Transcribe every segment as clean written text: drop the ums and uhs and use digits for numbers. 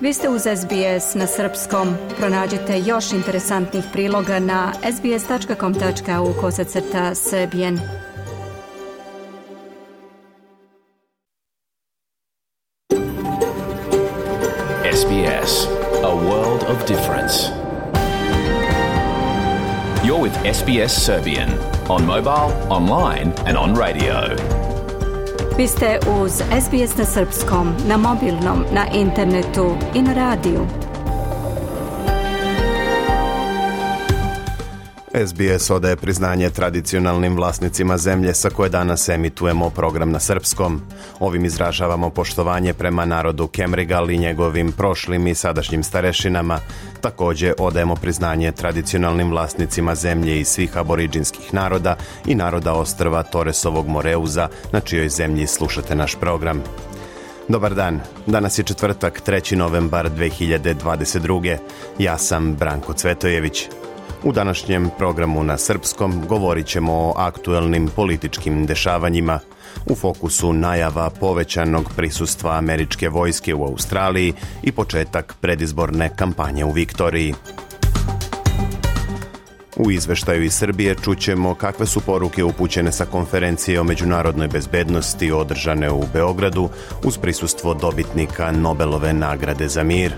Vi ste uz SBS na srpskom. Pronađite još interesantnih priloga na sbs.com.au/srbijen. SBS, a world of difference. You're with SBS Serbian on mobile, online and on radio. Vi ste uz SBS na srpskom, na mobilnom, na internetu i na radiju. SBS odaje priznanje tradicionalnim vlasnicima zemlje sa koje danas emitujemo program na srpskom. Ovim izražavamo poštovanje prema narodu Kemrigal i njegovim prošlim i sadašnjim starešinama. Također odajemo priznanje tradicionalnim vlasnicima zemlje i svih aboriđinskih naroda i naroda ostrva Toresovog Moreuza, na čijoj zemlji slušate naš program. Dobar dan, danas je četvrtak, 3. novembar 2022. Ja sam Branko Cvetojević. U današnjem programu na srpskom govorit ćemo o aktuelnim političkim dešavanjima. U fokusu najava povećanog prisustva američke vojske u Australiji i početak predizborne kampanje u Viktoriji. U izveštaju iz Srbije čućemo kakve su poruke upućene sa konferencije o međunarodnoj bezbednosti održane u Beogradu uz prisustvo dobitnika Nobelove nagrade za mir.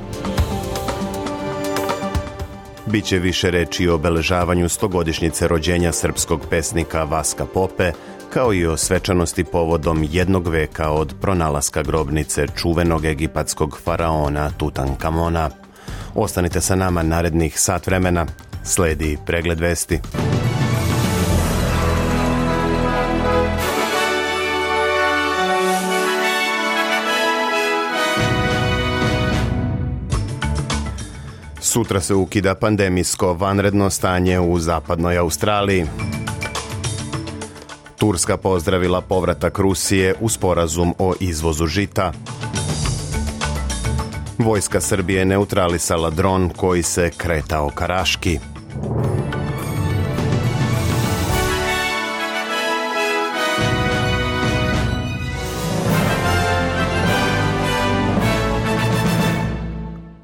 Biće više reči o obeležavanju 100-godišnjice rođenja srpskog pesnika Vaska Pope, kao i o svečanosti povodom 1 veka od pronalaska grobnice čuvenog egipatskog faraona Tutankamona. Ostanite sa nama narednih sat vremena. Sledi pregled vesti. Sutra se ukida pandemijsko vanredno stanje u zapadnoj Australiji. Turska pozdravila povratak Rusije u sporazum o izvozu žita. Vojska Srbije neutralisala dron koji se kretao ka Raški.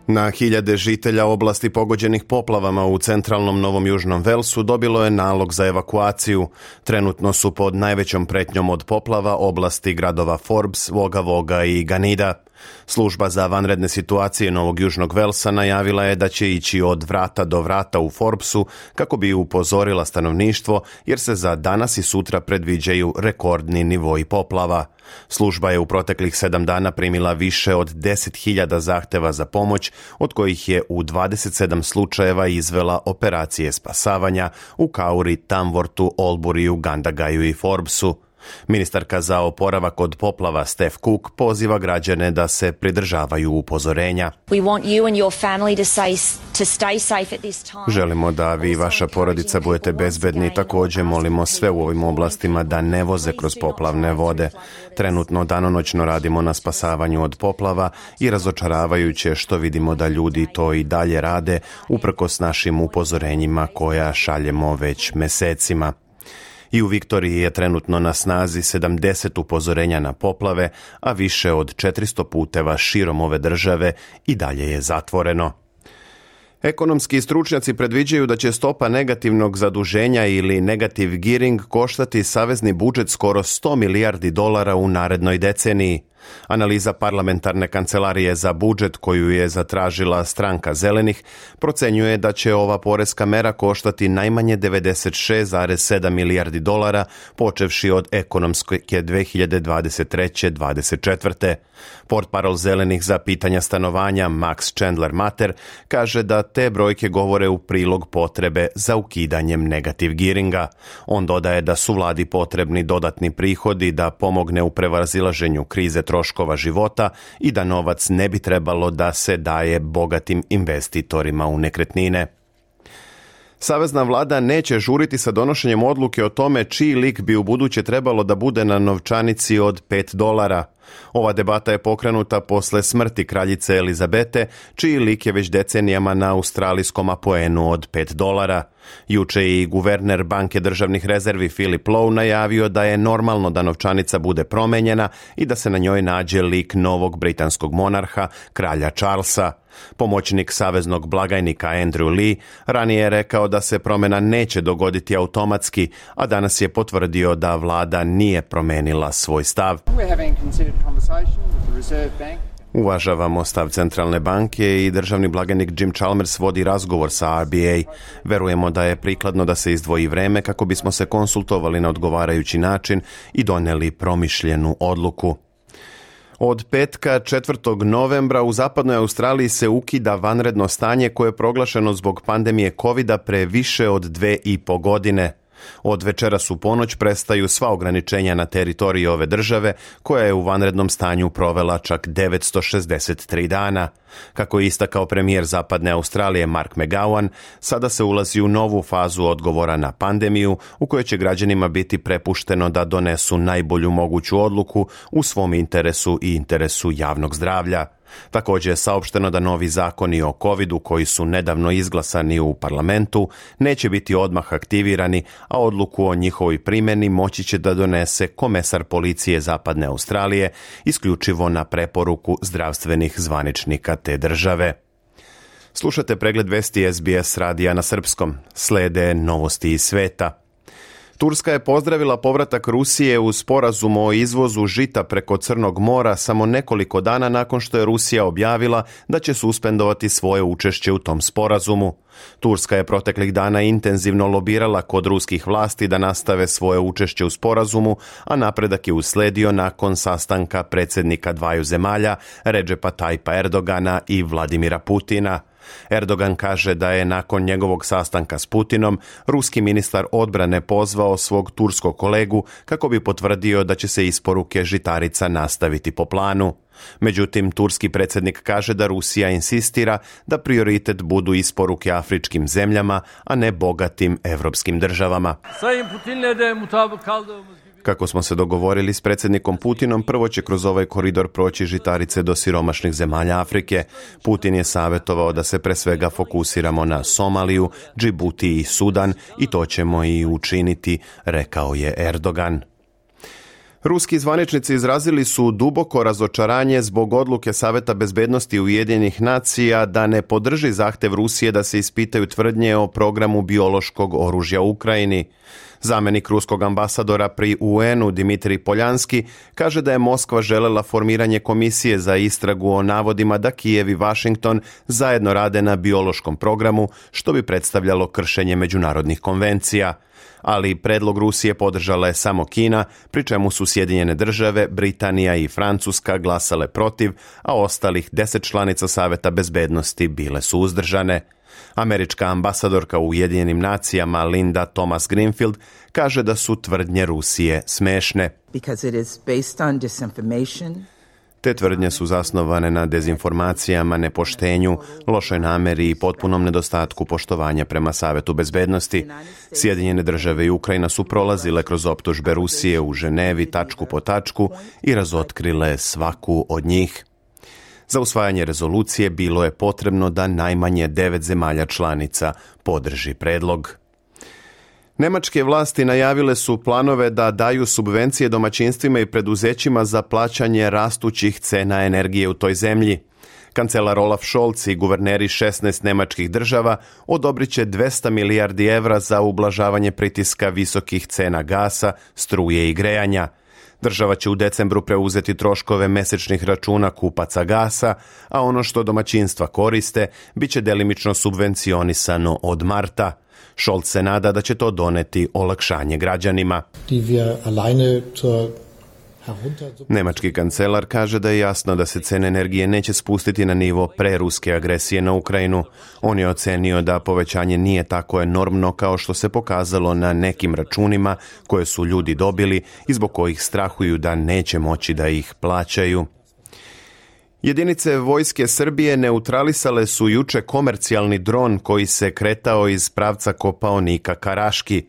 Na hiljade žitelja oblasti pogođenih poplavama u centralnom Novom Južnom Velsu dobilo je nalog za evakuaciju. Trenutno su pod najvećom pretnjom od poplava oblasti gradova Forbes, Wagga Wagga i Ganida. Služba za vanredne situacije Novog Južnog Velsa najavila je da će ići od vrata do vrata u Forbesu kako bi upozorila stanovništvo, jer se za danas i sutra predviđaju rekordni nivoi poplava. Služba je u proteklih 7 dana primila više od 10.000 zahteva za pomoć, od kojih je u 27 slučajeva izvela operacije spasavanja u Kauri, Tamworthu, Alburiju, Gandagaju i Forbesu. Ministarka za oporavak od poplava Steph Cook poziva građane da se pridržavaju upozorenja. Želimo da vi i vaša porodica budete bezbedni. Također molimo sve u ovim oblastima da ne voze kroz poplavne vode. Trenutno danonoćno radimo na spasavanju od poplava i razočaravajuće što vidimo da ljudi to i dalje rade uprkos našim upozorenjima koja šaljemo već mesecima. I u Viktoriji je trenutno na snazi 70 upozorenja na poplave, a više od 400 puteva širom ove države i dalje je zatvoreno. Ekonomski stručnjaci predviđaju da će stopa negativnog zaduženja ili negative gearing koštati savezni budžet skoro $100 milijardi u narednoj deceniji. Analiza parlamentarne kancelarije za budžet koju je zatražila stranka Zelenih procenjuje da će ova poreska mera koštati najmanje $96,7 milijardi počevši od ekonomske 2023-2024. Portparol Zelenih za pitanja stanovanja Max Chandler Mater kaže da te brojke govore u prilog potrebe za ukidanjem negative gearinga. On dodaje da su vladi potrebni dodatni prihodi da pomogne u prevazilaženju krize troškova života i da novac ne bi trebalo da se daje bogatim investitorima u nekretnine. Savezna vlada neće žuriti sa donošenjem odluke o tome čiji lik bi ubuduće trebalo da bude na novčanici od $5. Ova debata je pokrenuta posle smrti kraljice Elizabete, čiji lik je već decenijama na australijskom apoenu od $5. Juče je i guverner Banke državnih rezervi Philip Lowe najavio da je normalno da novčanica bude promenjena i da se na njoj nađe lik novog britanskog monarha, kralja Charlesa. Pomoćnik saveznog blagajnika Andrew Lee ranije je rekao da se promjena neće dogoditi automatski, a danas je potvrdio da vlada nije promenila svoj stav. Uvažavamo stav centralne banke i državni blagajnik Jim Chalmers vodi razgovor sa RBA. Verujemo da je prikladno da se izdvoji vreme kako bismo se konsultovali na odgovarajući način i donijeli promišljenu odluku. Od petka 4. novembra u zapadnoj Australiji se ukida vanredno stanje koje je proglašeno zbog pandemije covida pre više od 2,5 godine. Od večeras u ponoć prestaju sva ograničenja na teritoriji ove države, koja je u vanrednom stanju provela čak 963 dana. Kako je istakao premijer zapadne Australije Mark McGowan, sada se ulazi u novu fazu odgovora na pandemiju, u kojoj će građanima biti prepušteno da donesu najbolju moguću odluku u svom interesu i interesu javnog zdravlja. Također je saopšteno da novi zakoni o covidu koji su nedavno izglasani u parlamentu neće biti odmah aktivirani, a odluku o njihovoj primjeni moći će da donese komesar policije zapadne Australije isključivo na preporuku zdravstvenih zvaničnika te države. Slušate pregled vesti SBS radija na srpskom. Slede novosti iz sveta. Turska je pozdravila povratak Rusije u sporazum o izvozu žita preko Crnog mora samo nekoliko dana nakon što je Rusija objavila da će suspendovati svoje učešće u tom sporazumu. Turska je proteklih dana intenzivno lobirala kod ruskih vlasti da nastave svoje učešće u sporazumu, a napredak je usledio nakon sastanka predsjednika dvaju zemalja, Redžepa Tajpa Erdogana i Vladimira Putina. Erdogan kaže da je nakon njegovog sastanka s Putinom ruski ministar odbrane pozvao svog turskog kolegu kako bi potvrdio da će se isporuke žitarica nastaviti po planu. Međutim, turski predsjednik kaže da Rusija insistira da prioritet budu isporuke afričkim zemljama, a ne bogatim evropskim državama. Kako smo se dogovorili s predsjednikom Putinom, prvo će kroz ovaj koridor proći žitarice do siromašnih zemalja Afrike. Putin je savjetovao da se pre svega fokusiramo na Somaliju, Džibuti i Sudan i to ćemo i učiniti, rekao je Erdogan. Ruski zvaničnici izrazili su duboko razočaranje zbog odluke Saveta bezbednosti Ujedinjenih nacija da ne podrži zahtev Rusije da se ispitaju tvrdnje o programu biološkog oružja u Ukrajini. Zamjenik ruskog ambasadora pri UN-u Dimitrij Poljanski kaže da je Moskva želela formiranje komisije za istragu o navodima da Kijev i Washington zajedno rade na biološkom programu, što bi predstavljalo kršenje međunarodnih konvencija. Ali predlog Rusije podržala je samo Kina, pri čemu su Sjedinjene države, Britanija i Francuska glasale protiv, a ostalih 10 članica Saveta bezbednosti bile su uzdržane. Američka ambasadorka u Ujedinjenim nacijama Linda Thomas Greenfield kaže da su tvrdnje Rusije smešne. Te tvrdnje su zasnovane na dezinformacijama, nepoštenju, lošoj nameri i potpunom nedostatku poštovanja prema Savetu bezbednosti. Sjedinjene države i Ukrajina su prolazile kroz optužbe Rusije u Ženevi tačku po tačku i razotkrile svaku od njih. Za usvajanje rezolucije bilo je potrebno da najmanje 9 zemalja članica podrži predlog. Nemačke vlasti najavile su planove da daju subvencije domaćinstvima i preduzećima za plaćanje rastućih cena energije u toj zemlji. Kancelar Olaf Scholz i guverneri 16 nemačkih država odobrit će 200 milijardi evra za ublažavanje pritiska visokih cena gasa, struje i grejanja. Država će u decembru preuzeti troškove mesečnih računa kupaca gasa, a ono što domaćinstva koriste bit će delimično subvencionisano od marta. Scholz se nada da će to doneti olakšanje građanima. Nemački kancelar kaže da je jasno da se cene energije neće spustiti na nivo preruske agresije na Ukrajinu. On je ocenio da povećanje nije tako enormno kao što se pokazalo na nekim računima koje su ljudi dobili i zbog kojih strahuju da neće moći da ih plaćaju. Jedinice vojske Srbije neutralisale su juče komercijalni dron koji se kretao iz pravca Kopaonika ka Raški.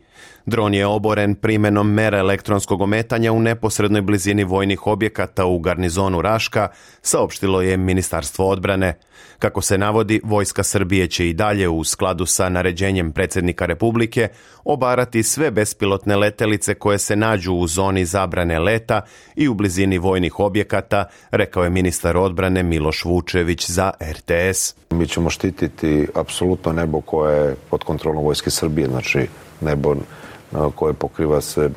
Dron je oboren primenom mera elektronskog ometanja u neposrednoj blizini vojnih objekata u garnizonu Raška, saopštilo je Ministarstvo odbrane. Kako se navodi, Vojska Srbije će i dalje u skladu sa naređenjem predsjednika Republike obarati sve bespilotne letelice koje se nađu u zoni zabrane leta i u blizini vojnih objekata, rekao je ministar odbrane Miloš Vučević za RTS. Mi ćemo štititi apsolutno nebo koje je pod kontrolom Vojske Srbije, znači nebo koje pokriva se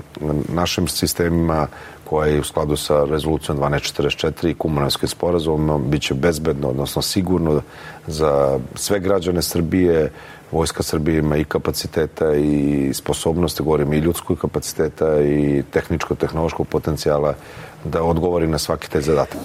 našim sistemima, koje je u skladu sa rezolucijom 1244 i Kumanovskim sporazumom, bit će bezbedno, odnosno sigurno za sve građane Srbije. Vojska Srbije ima i kapaciteta i sposobnosti, govorim i ljudskog kapaciteta i tehničko-tehnološkog potencijala da odgovori na svaki taj zadatak.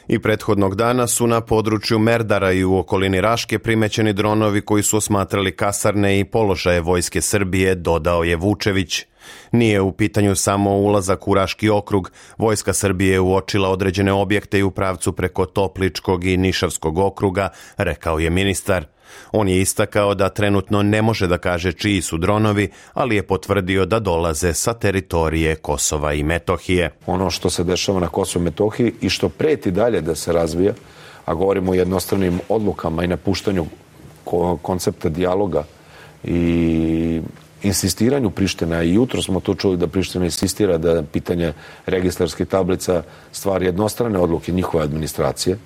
I prethodnog dana su na području Merdara i u okolini Raške primećeni dronovi koji su osmatrali kasarne i položaje Vojske Srbije, dodao je Vučević. Nije u pitanju samo ulazak u Raški okrug. Vojska Srbije je uočila određene objekte i u pravcu preko Topličkog i Nišavskog okruga, rekao je ministar. On je istakao da trenutno ne može da kaže čiji su dronovi, ali je potvrdio da dolaze sa teritorije Kosova i Metohije. Ono što se dešava na Kosovu i Metohiji i što preti dalje da se razvija, a govorimo o jednostranim odlukama i napuštanju koncepta dijaloga i insistiranju Priština, i jutro smo to čuli da Priština insistira da pitanje registarskih tablica stvar jednostrane odluke njihove administracije.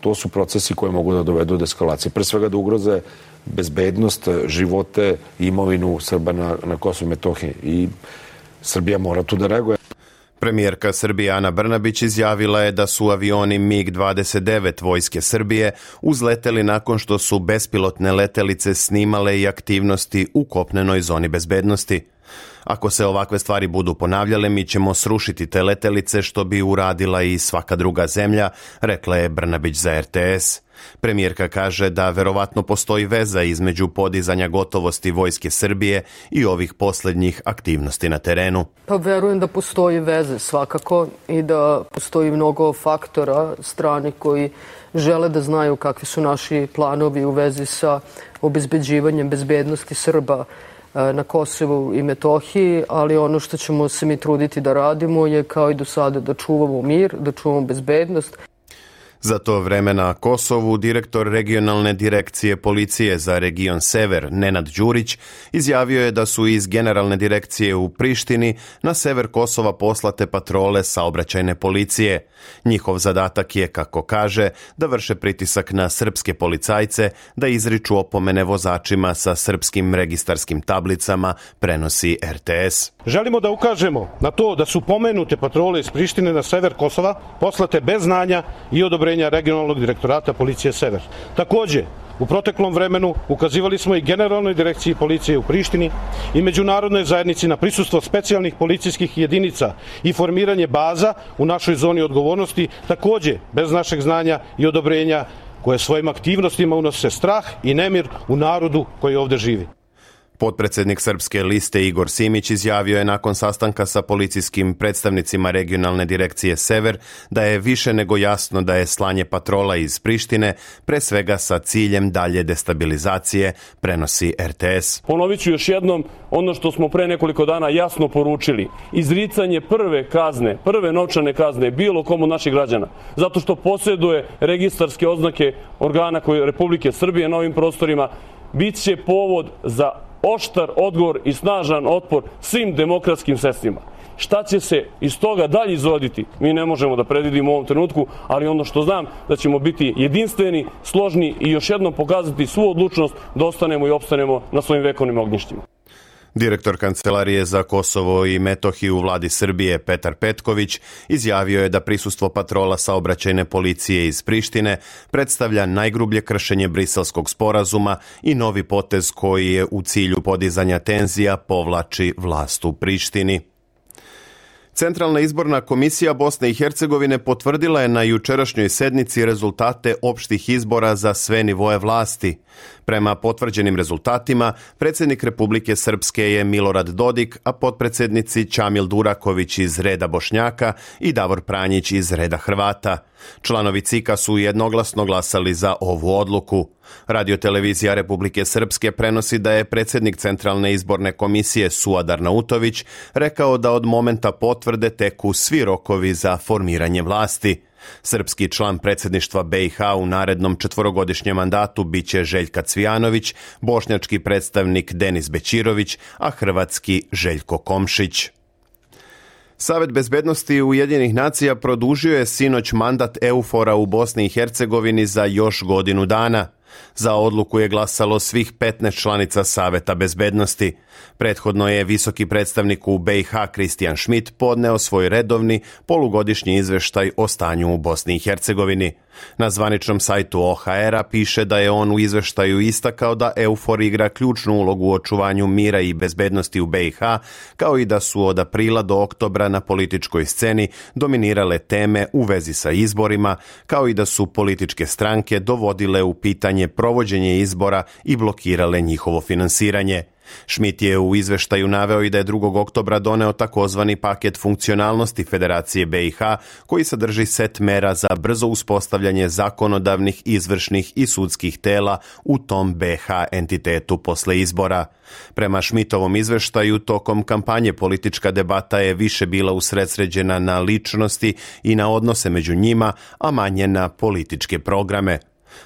To su procesi koji mogu da dovedu do eskalacije. Pre svega da ugroze bezbednost, živote i imovinu Srba na Kosovu i Metohiji. I Srbija mora tu da reaguje. Premijerka Srbije Ana Brnabić izjavila je da su avioni MiG-29 Vojske Srbije uzleteli nakon što su bespilotne letelice snimale i aktivnosti u kopnenoj zoni bezbednosti. Ako se ovakve stvari budu ponavljale, mi ćemo srušiti te letelice što bi uradila i svaka druga zemlja, rekla je Brnabić za RTS. Premijerka kaže da verovatno postoji veza između podizanja gotovosti Vojske Srbije i ovih posljednjih aktivnosti na terenu. Pa verujem da postoji veze svakako i da postoji mnogo faktora strani koji žele da znaju kakvi su naši planovi u vezi sa obezbeđivanjem bezbednosti Srba na Kosovu i Metohiji, ali ono što ćemo se mi truditi da radimo je kao i do sada da čuvamo mir, da čuvamo bezbednost. Za to vreme na Kosovu direktor regionalne direkcije policije za region Sever, Nenad Đurić, izjavio je da su iz generalne direkcije u Prištini na sever Kosova poslate patrole saobraćajne policije. Njihov zadatak je, kako kaže, da vrše pritisak na srpske policajce, da izriču opomene vozačima sa srpskim registarskim tablicama, prenosi RTS. Želimo da ukažemo na to da su pomenute patrole iz Prištine na sever Kosova poslate bez znanja i odobrenja regionalnog direktorata policije Sever. Takođe, u proteklom vremenu ukazivali smo i generalnoj direkciji policije u Prištini i međunarodnoj zajednici na prisustvo specijalnih policijskih jedinica i formiranje baza u našoj zoni odgovornosti, takođe bez našeg znanja i odobrenja, koje svojim aktivnostima unose strah i nemir u narodu koji ovde živi. Potpredsjednik Srpske liste Igor Simić izjavio je nakon sastanka sa policijskim predstavnicima regionalne direkcije Sever da je više nego jasno da je slanje patrola iz Prištine pre svega sa ciljem dalje destabilizacije, prenosi RTS. Ponovit ću još jednom ono što smo pre nekoliko dana jasno poručili. Izricanje prve novčane kazne bilo komu od naših građana, zato što posjeduje registarske oznake organa koje Republike Srbije na ovim prostorima, bit će povod za oštar odgovor i snažan otpor svim demokratskim sredstvima. Šta će se iz toga dalje izroditi, mi ne možemo da predvidimo u ovom trenutku, ali ono što znam da ćemo biti jedinstveni, složni i još jednom pokazati svu odlučnost da ostanemo i opstanemo na svojim vekovnim ognjištima. Direktor Kancelarije za Kosovo i Metohiju u vladi Srbije Petar Petković izjavio je da prisustvo patrola saobraćajne policije iz Prištine predstavlja najgrublje kršenje Briselskog sporazuma i novi potez koji je u cilju podizanja tenzija povlači vlast u Prištini. Centralna izborna komisija Bosne i Hercegovine potvrdila je na jučerašnjoj sednici rezultate opštih izbora za sve nivoe vlasti. Prema potvrđenim rezultatima, predsjednik Republike Srpske je Milorad Dodik, a potpredsjednici Čamil Duraković iz reda Bošnjaka i Davor Pranjić iz reda Hrvata. Članovi CIK-a su jednoglasno glasali za ovu odluku. Radiotelevizija Republike Srpske prenosi da je predsjednik Centralne izborne komisije Suadar Nautović rekao da od momenta potvrde teku svi rokovi za formiranje vlasti. Srpski član predsjedništva BiH u narednom 4-godišnjem mandatu biće Željka Cvijanović, bošnjački predstavnik Denis Bećirović, a hrvatski Željko Komšić. Savet bezbednosti Ujedinjenih nacija produžio je sinoć mandat EUFOR-a u Bosni i Hercegovini za još godinu dana. Za odluku je glasalo svih 15 članica Saveta bezbednosti. Prethodno je visoki predstavnik u BiH Kristijan Schmidt podneo svoj redovni polugodišnji izveštaj o stanju u Bosni i Hercegovini. Na zvaničnom sajtu OHR-a piše da je on u izveštaju istakao da EUFOR igra ključnu ulogu u očuvanju mira i bezbednosti u BiH, kao i da su od aprila do oktobra na političkoj sceni dominirale teme u vezi sa izborima, kao i da su političke stranke dovodile u pitanje provođenje izbora i blokirale njihovo finansiranje. Schmidt je u izveštaju naveo i da je 2. oktobra doneo takozvani paket funkcionalnosti Federacije BiH koji sadrži set mera za brzo uspostavljanje zakonodavnih, izvršnih i sudskih tela u tom BiH entitetu posle izbora. Prema Schmidtovom izveštaju, tokom kampanje politička debata je više bila usredsređena na ličnosti i na odnose među njima, a manje na političke programe.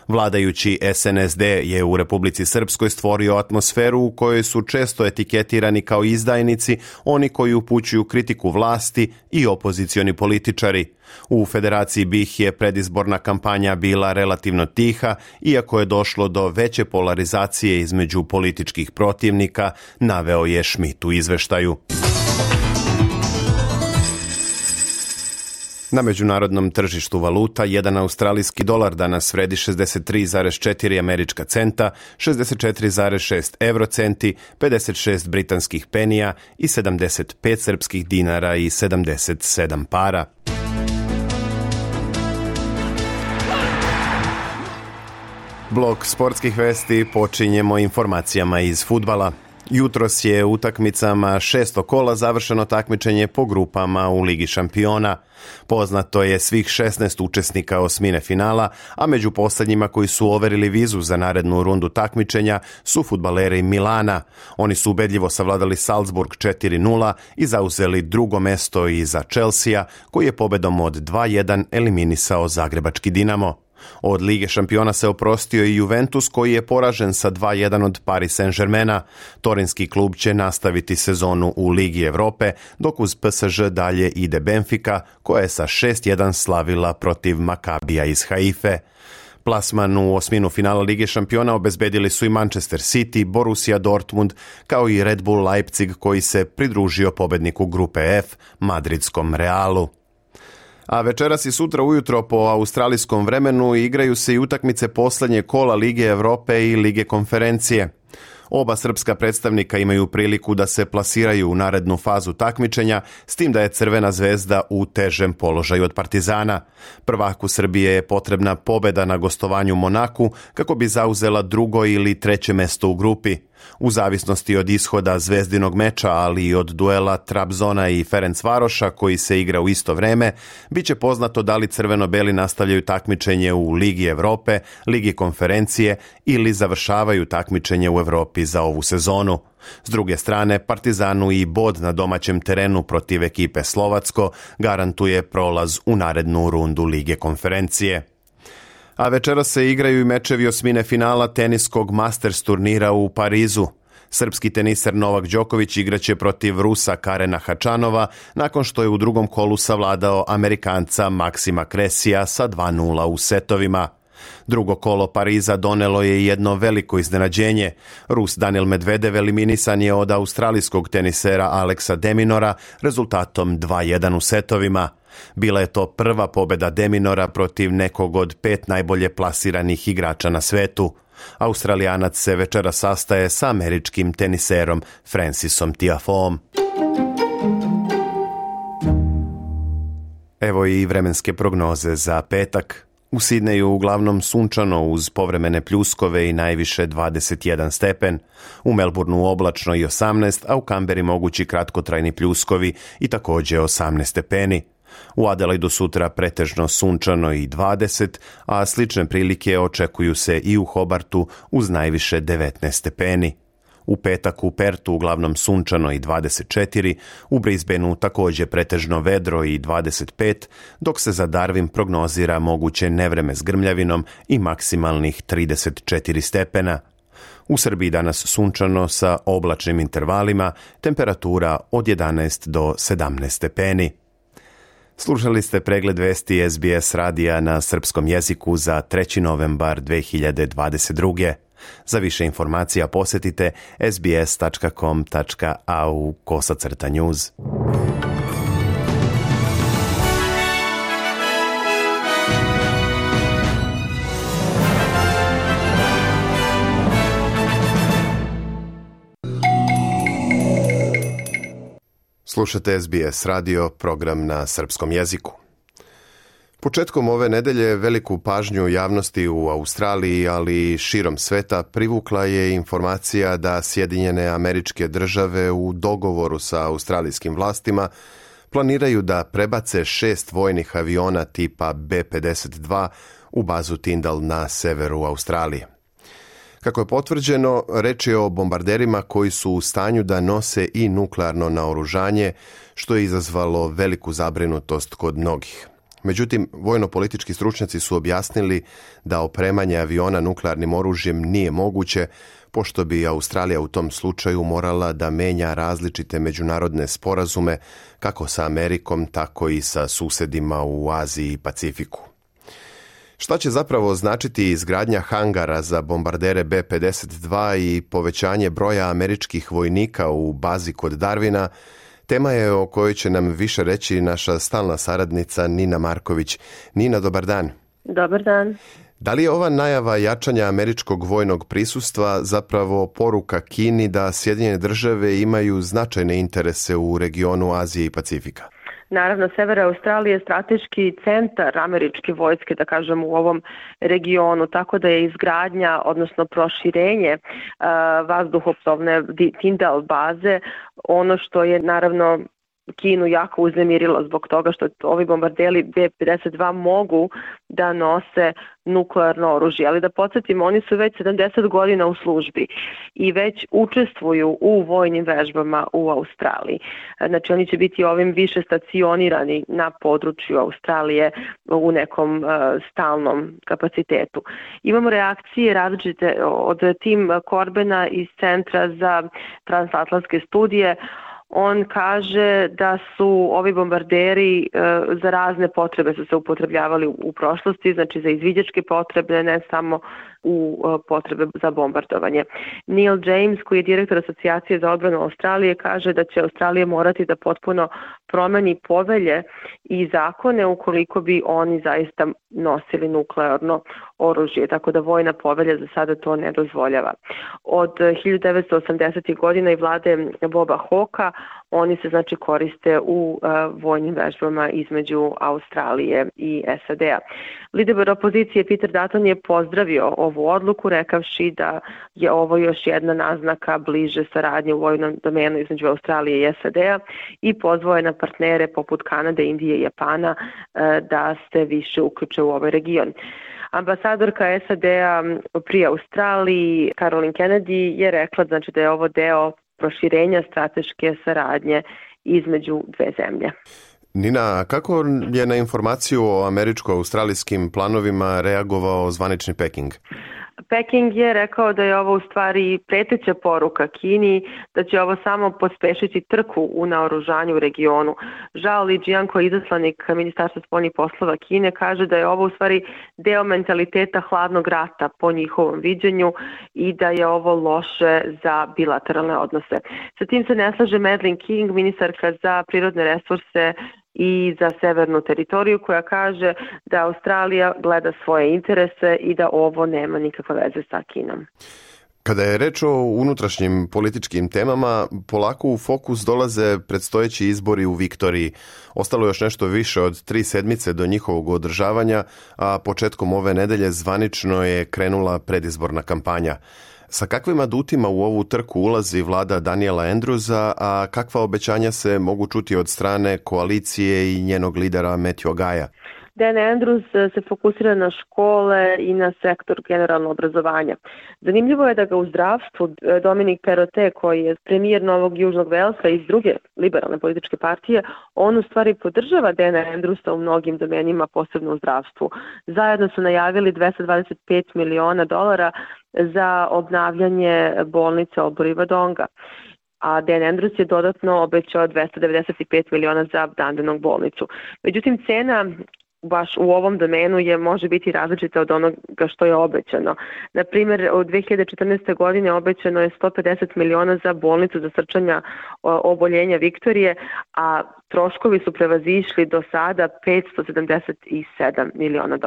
Vladajući SNSD je u Republici Srpskoj stvorio atmosferu u kojoj su često etiketirani kao izdajnici oni koji upućuju kritiku vlasti i opozicioni političari. U Federaciji BiH je predizborna kampanja bila relativno tiha, iako je došlo do veće polarizacije između političkih protivnika, naveo je Schmidt u izveštaju. Na međunarodnom tržištu valuta, jedan australijski dolar danas vredi 63,4 američka centa, 64,6 eurocenti, 56 britanskih penija i 75 srpskih dinara i 77 para. Blok sportskih vesti počinjemo informacijama iz fudbala. Jutros je utakmicama 6. kola završeno takmičenje po grupama u Ligi šampiona. Poznato je svih 16 učesnika osmine finala, a među posljednjima koji su overili vizu za narednu rundu takmičenja su fudbaleri Milana. Oni su ubedljivo savladali Salzburg 4-0 i zauzeli drugo mesto iza Chelsea, koji je pobedom od 2-1 eliminisao zagrebački Dinamo. Od Lige šampiona se oprostio i Juventus, koji je poražen sa 2-1 od Paris Saint-Germaina. Torinski klub će nastaviti sezonu u Ligi Evrope, dok uz PSG dalje ide Benfica, koja je sa 6-1 slavila protiv Makabija iz Haife. Plasman u osminu finala Lige šampiona obezbedili su i Manchester City, Borussia Dortmund, kao i Red Bull Leipzig, koji se pridružio pobedniku grupe F, madridskom Realu. A večeras i sutra ujutro po australijskom vremenu igraju se i utakmice posljednje kola Lige Evrope i Lige konferencije. Oba srpska predstavnika imaju priliku da se plasiraju u narednu fazu takmičenja, s tim da je Crvena zvezda u težem položaju od Partizana. Prvaku Srbije je potrebna pobeda na gostovanju Monaku kako bi zauzela drugo ili treće mesto u grupi. U zavisnosti od ishoda zvezdinog meča, ali i od duela Trabzona i Ferencvaroša koji se igra u isto vreme, bit će poznato da li crveno-beli nastavljaju takmičenje u Ligi Evrope, Ligi konferencije ili završavaju takmičenje u Evropi za ovu sezonu. S druge strane, Partizanu i bod na domaćem terenu protiv ekipe Slovacko garantuje prolaz u narednu rundu Lige konferencije. A večeras se igraju i mečevi osmine finala teniskog Masters turnira u Parizu. Srpski teniser Novak Đoković igraće protiv Rusa Karena Hačanova nakon što je u drugom kolu savladao Amerikanca Maksima Kresija sa 2-0 u setovima. Drugo kolo Pariza donelo je jedno veliko iznenađenje. Rus Daniil Medvedev eliminisan je od australijskog tenisera Alexa de Minaura rezultatom 2-1 u setovima. Bila je to prva pobjeda de Minaura protiv nekog od 5 najbolje plasiranih igrača na svetu. Australijanac se večera sastaje sa američkim teniserom Francisom Tiafoeom. Evo i vremenske prognoze za petak. U Sidneju uglavnom sunčano uz povremene pljuskove i najviše 21 stepen. U Melbourneu oblačno i 18, a u Kamberi mogući kratkotrajni pljuskovi i također 18 stepeni. U Adelaidu sutra pretežno sunčano i 20, a slične prilike očekuju se i u Hobartu uz najviše 19 stepeni. U petak u Pertu uglavnom sunčano i 24, u Brisbaneu također pretežno vedro i 25, dok se za Darwin prognozira moguće nevreme s grmljavinom i maksimalnih 34 stepena. U Srbiji danas sunčano sa oblačnim intervalima, temperatura od 11 do 17 stepeni. Slušali ste pregled vesti SBS radija na srpskom jeziku za 3. novembar 2022. Za više informacija posjetite sbs.com.au/news. Slušate SBS radio, program na srpskom jeziku. Početkom ove nedelje veliku pažnju javnosti u Australiji, ali i širom sveta, privukla je informacija da Sjedinjene Američke Države u dogovoru sa australijskim vlastima planiraju da prebace 6 vojnih aviona tipa B-52 u bazu Tyndall na severu Australije. Kako je potvrđeno, reč je o bombarderima koji su u stanju da nose i nuklearno naoružanje, što je izazvalo veliku zabrinutost kod mnogih. Međutim, vojno-politički stručnjaci su objasnili da opremanje aviona nuklearnim oružjem nije moguće, pošto bi Australija u tom slučaju morala da menja različite međunarodne sporazume, kako sa Amerikom, tako i sa susedima u Aziji i Pacifiku. Šta će zapravo značiti izgradnja hangara za bombardere B-52 i povećanje broja američkih vojnika u bazi kod Darwina, tema je o kojoj će nam više reći naša stalna saradnica Nina Marković. Nina, dobar dan. Dobar dan. Da li je ova najava jačanja američkog vojnog prisustva zapravo poruka Kini da Sjedinjene Države imaju značajne interese u regionu Azije i Pacifika? Naravno, sever Australije je strateški centar američke vojske, da kažem, u ovom regionu, tako da je izgradnja, odnosno proširenje vazduhoplovne Tyndall baze ono što je naravno Kinu jako uznemirilo zbog toga što ovi bombarderi B-52 mogu da nose nuklearno oružje. Ali da podsjetimo, oni su već 70 godina u službi i već učestvuju u vojnim vežbama u Australiji. Znači oni će biti ovim više stacionirani na području Australije u nekom stalnom kapacitetu. Imamo reakcije različite od Tim Corbena iz Centra za transatlantske studije. On kaže da su ovi bombarderi za razne potrebe su se upotrebljavali u prošlosti, znači za izviđačke potrebe, ne samo u potrebe za bombardovanje. Neil James, koji je direktor Asocijacije za odbranu Australije, kaže da će Australija morati da potpuno promeni povelje i zakone ukoliko bi oni zaista nosili nuklearno oružje, tako da vojna povelja za sada to ne dozvoljava. Od 1980. godina i vlade Boba Hawka oni se znači koriste u vojnim vežbama između Australije i SAD-a. Lider opozicije Peter Dutton je pozdravio ovu odluku rekavši da je ovo još jedna naznaka bliže saradnje u vojnom domenu između Australije i SAD-a i pozvao je na partnere poput Kanade, Indije i Japana da se više uključe u ovaj region. Ambasadorka SAD-a pri Australiji Caroline Kennedy je rekla znači da je ovo deo proširenja strateške saradnje između dve zemlje. Nina, kako je na informaciju o američko-australijskim planovima reagovao zvanični Peking? Peking je rekao da je ovo u stvari preteća poruka Kini, da će ovo samo pospešiti trku u naoružanju u regionu. Zhao Lijian, koji je izaslanik Ministarstva spoljnih poslova Kine, kaže da je ovo u stvari deo mentaliteta hladnog rata po njihovom viđenju i da je ovo loše za bilateralne odnose. Sa tim se ne slaže Madeleine King, ministarka za prirodne resurse i za severnu teritoriju, koja kaže da Australija gleda svoje interese i da ovo nema nikakve veze sa Kinom. Kada je reč o unutrašnjim političkim temama, polako u fokus dolaze predstojeći izbori u Viktoriji. Ostalo još nešto više od 3 sedmice do njihovog održavanja, a početkom ove nedelje zvanično je krenula predizborna kampanja. Sa kakvim adutima u ovu trku ulazi vlada Daniela Andrewsa, a kakva obećanja se mogu čuti od strane koalicije i njenog lidera Matthew Gaya? Dan Andrews se fokusira na škole i na sektor generalno obrazovanja. Zanimljivo je da ga u zdravstvu Dominic Perrottet, koji je premijer Novog Južnog Velsa iz druge liberalne političke partije, on u stvari podržava Dana Andrewsa u mnogim domenima, posebno u zdravstvu. Zajedno su najavili $225 miliona za obnavljanje bolnice Albury-Wodonga. A Dan Andrews je dodatno obećao $295 miliona za Dandenong bolnicu. Međutim, cena baš u ovom domenu može biti različita od onoga što je obećano. Na primjer, u 2014. godine obećano je $150 miliona za bolnicu za srčanja oboljenja Viktorije, a troškovi su prevazišli do sada $577 miliona.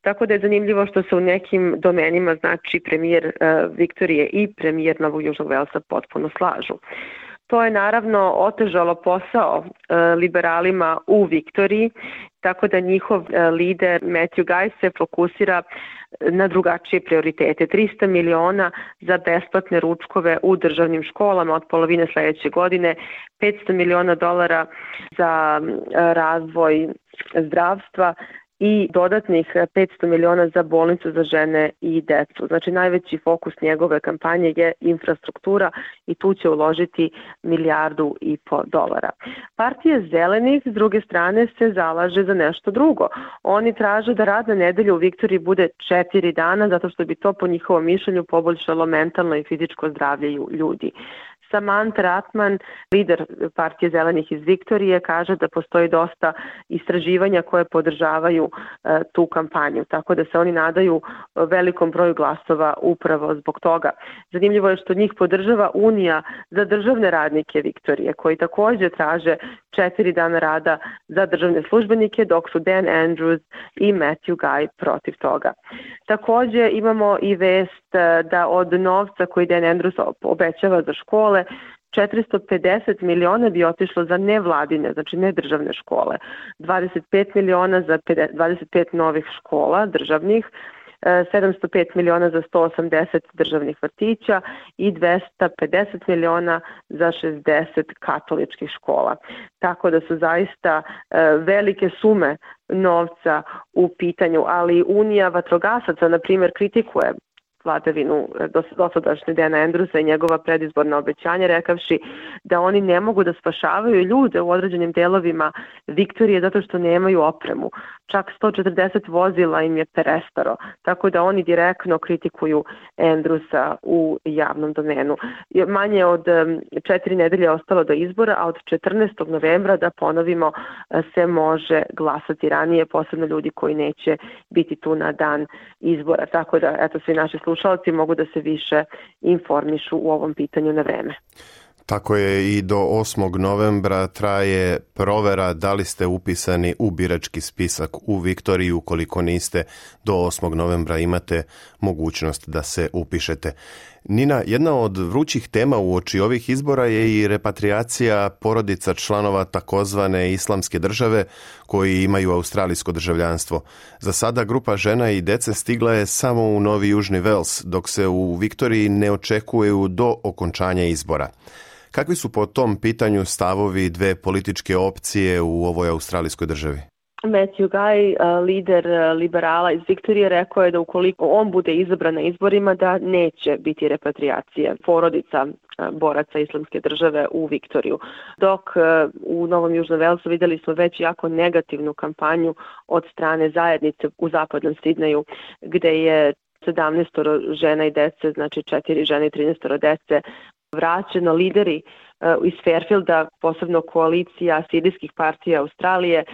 Tako da je zanimljivo što se u nekim domenima, znači premijer Viktorije i premijer Novog Južnog Velsa potpuno slažu. To je naravno otežalo posao liberalima u Viktoriji, tako da njihov lider Matthew Guy se fokusira na drugačije prioritete. 300 miliona za besplatne ručkove u državnim školama od polovine sledeće godine, $500 miliona za razvoj zdravstva i dodatnih 500 miliona za bolnicu za žene i decu. Znači najveći fokus njegove kampanje je infrastruktura i tu će uložiti $1,5 milijardu. Partija Zelenih s druge strane se zalaže za nešto drugo. Oni traže da radna nedelja u Viktoriji bude 4 dana zato što bi to po njihovom mišljenju poboljšalo mentalno i fizičko zdravlje ljudi. Samantha Ratman, lider partije Zelenih iz Viktorije, kaže da postoji dosta istraživanja koje podržavaju tu kampanju, tako da se oni nadaju velikom broju glasova upravo zbog toga. Zanimljivo je što njih podržava Unija za državne radnike Viktorije, koji takođe traže 4 dana rada za državne službenike, dok su Dan Andrews i Matthew Guy protiv toga. Takođe imamo i vest da od novca koji Dan Andrews obećava za škole, 450 miliona bi otišlo za nevladine, znači ne državne škole, 25 miliona za 25 novih škola državnih, 705 miliona za 180 državnih vrtića i 250 miliona za 60 katoličkih škola. Tako da su zaista velike sume novca u pitanju, ali Unija vatrogasaca, na primjer, kritikuje vladavinu dosadašnje Dana Andrewsa i njegova predizborna obećanja, rekavši da oni ne mogu da spašavaju ljude u određenim delovima Viktorije zato što nemaju opremu. Čak 140 vozila im je prestaro, tako da oni direktno kritikuju Andrewsa u javnom domenu. Manje od 4 nedelje ostalo do izbora, a od 14. novembra, da ponovimo, se može glasati ranije, posebno ljudi koji neće biti tu na dan izbora. Tako da, eto, svi naši slušalci mogu da se više informišu u ovom pitanju na vreme. Tako je, i do 8. novembra traje provera da li ste upisani u birački spisak u Viktoriji. Ukoliko niste, do 8. novembra imate mogućnost da se upišete. Nina, jedna od vrućih tema uoči ovih izbora je i repatriacija porodica članova takozvane islamske države koji imaju australijsko državljanstvo. Za sada grupa žena i dece stigla je samo u Novi Južni Vels, dok se u Viktoriji ne očekuju do okončanja izbora. Kakvi su po tom pitanju stavovi dve političke opcije u ovoj australijskoj državi? Matthew Guy, lider liberala iz Viktorije, rekao je da ukoliko on bude izabran na izborima, da neće biti repatriacije porodica boraca islamske države u Viktoriju. Dok u Novom Južnom Velsu videli smo već jako negativnu kampanju od strane zajednice u zapadnom Sidneju, gde je 17 žena i dece, znači 4 žene i 13 dece, vraćeno. Lideri iz Fairfielda, posebno koalicija sirijskih partija Australije,